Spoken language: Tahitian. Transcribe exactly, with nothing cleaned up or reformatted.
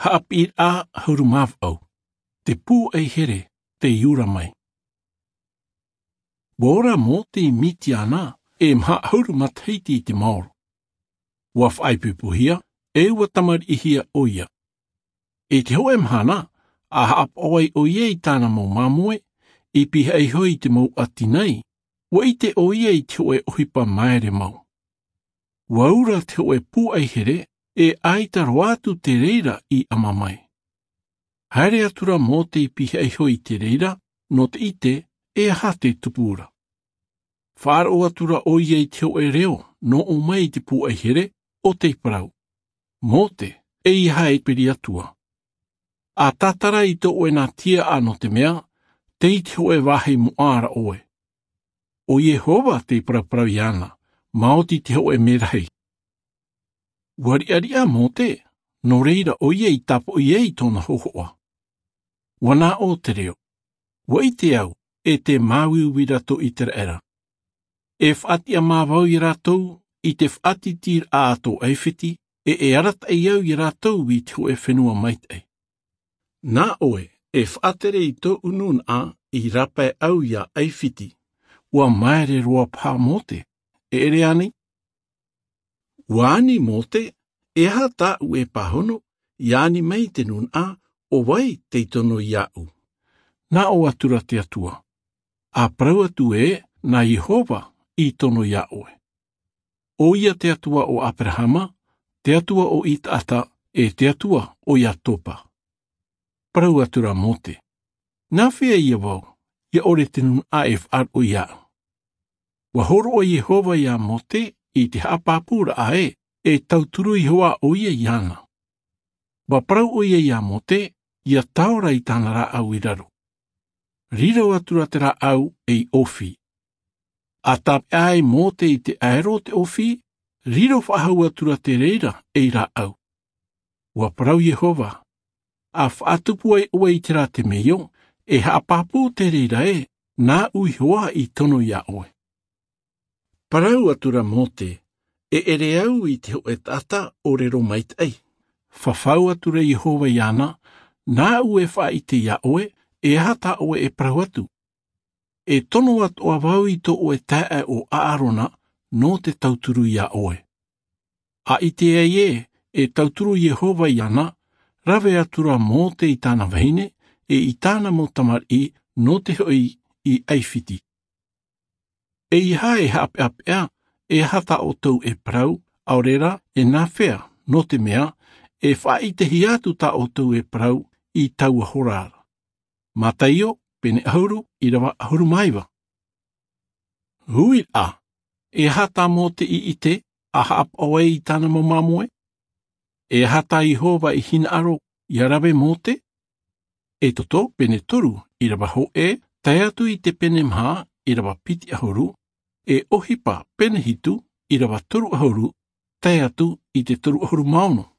Haʻapiʻiraʻa ʻahuru mā vaʻu. Te pūai here tei ora mai. Ua ora mōte i mitiana e maha ʻahuru matahiti i te maoro. Ua faʻaipoipohia e ua tamariʻihia ʻoia. I te hoʻe mahana a haʻapaʻo ai ʻoia i tāna mau māmoe i pihaʻi iho i te mau ʻati nei, ua ʻite ʻoia i te hoʻe ʻohipa maere mau. Ua ora te hoʻe pūai here e ʻaita roa atu te reira i ʻama mai. Haere atu ra mōte i pihaʻi iho i te reira nō te ʻite e aha te tupu ra. Faʻaroʻo atu ra ʻoia i te hoʻe reo nō ʻō mai i te pūai here ʻo tei parau, mōte, e ia hae piri atua. A tātara i tō ʻoe nā tiaʻa nō te mea tei te hoʻe vāhi moʻa ra ʻoe. ʻO iehova tei paraparau iāna, maoti te hoʻe merahi. Ua riʻariʻa mōte nō reira ʻoia i tāpoʻi ai tōna hohoʻa. Ua nā ʻō te reo, ua ʻite au e te māuiui ra tō iseraela. E faʻatiʻa māvau iā rātou i te faʻatitiraʻa a tō ʻaifiti, e e arataʻi au iā rātou i te hoʻe fenua maitaʻi. Nā ʻoe e faʻatere i tōʻu nūnaʻa i rāpae au iā ʻaifiti. Ua maere roa paha mōte, e ʻere ani. Ua ani mōte, e aha tāʻu e pāhono ia ani mai te nūnaʻa? ʻO vai tei tono iāʻu? Nā ʻō atu ra te atua, a parau atu ē nā iehova i tono iā ʻoe. ʻO ia te atua o aperahama, te atua o isaaka, e te atua o iakoba. Parau atu ra mōte, nā fea ia vau ia ʻore te nūnaʻa e faʻaroʻo iāʻu? Ua hōroʻa iehova iā mōte i te haʻapāpūraʻa ē e tauturu iho ā ʻoia iāna. Ua parau ʻoia iā mōte ia taora i tāna rāʻau i raro. Riro atu ra te rāʻau ei ʻōfī. A tāpeʻa ai mōte i te ʻaero o te ʻōfī, riro faʻahou atu ra te reira ei rāʻau. Ua parau iehova, a faʻatupu ai ʻoe i te rā temeio, e haʻapāpū te reira ē nāʻu iho ā i tono iā ʻoe. Parau atu ra mōte, e ʻere au i te hoʻe taʻata ʻōrero maitaʻi. Fafau atu ra iehova iāna, nāʻu e faʻaʻite iā ʻoe e aha tā ʻoe e parau atu. E tono atoʻa vau i tō ʻoe taeaʻe o aarona nō te tauturu iā ʻoe. A ʻite ai ē e tauturu iehova iāna, rave atu ra mōte i tāna vahine e i tāna mau tamariʻi nō te hoʻi i ʻaifiti. E ia hae haʻapeʻapeʻa e aha tā ʻoutou e parau, ʻaore rā e nā fea, nō te mea e faʻaʻitehia atu tā ʻoutou e parau i taua hora ra. Mataio pene ʻahuru, ʻirava ʻahuru mā iva. Uiraʻa, e aha tā mōte i ʻite a haʻapaʻo ai i tāna mau māmoe? E aha tā iehova i hinaʻaro ia rave mōte? Exodo pene toru, ʻirava hōʻē tae atu i te pene maha, ʻirava piti ʻahuru, e ʻohipa pene hitu, ʻirava toru ʻahuru tae atu i te toru ʻahuru mā ono.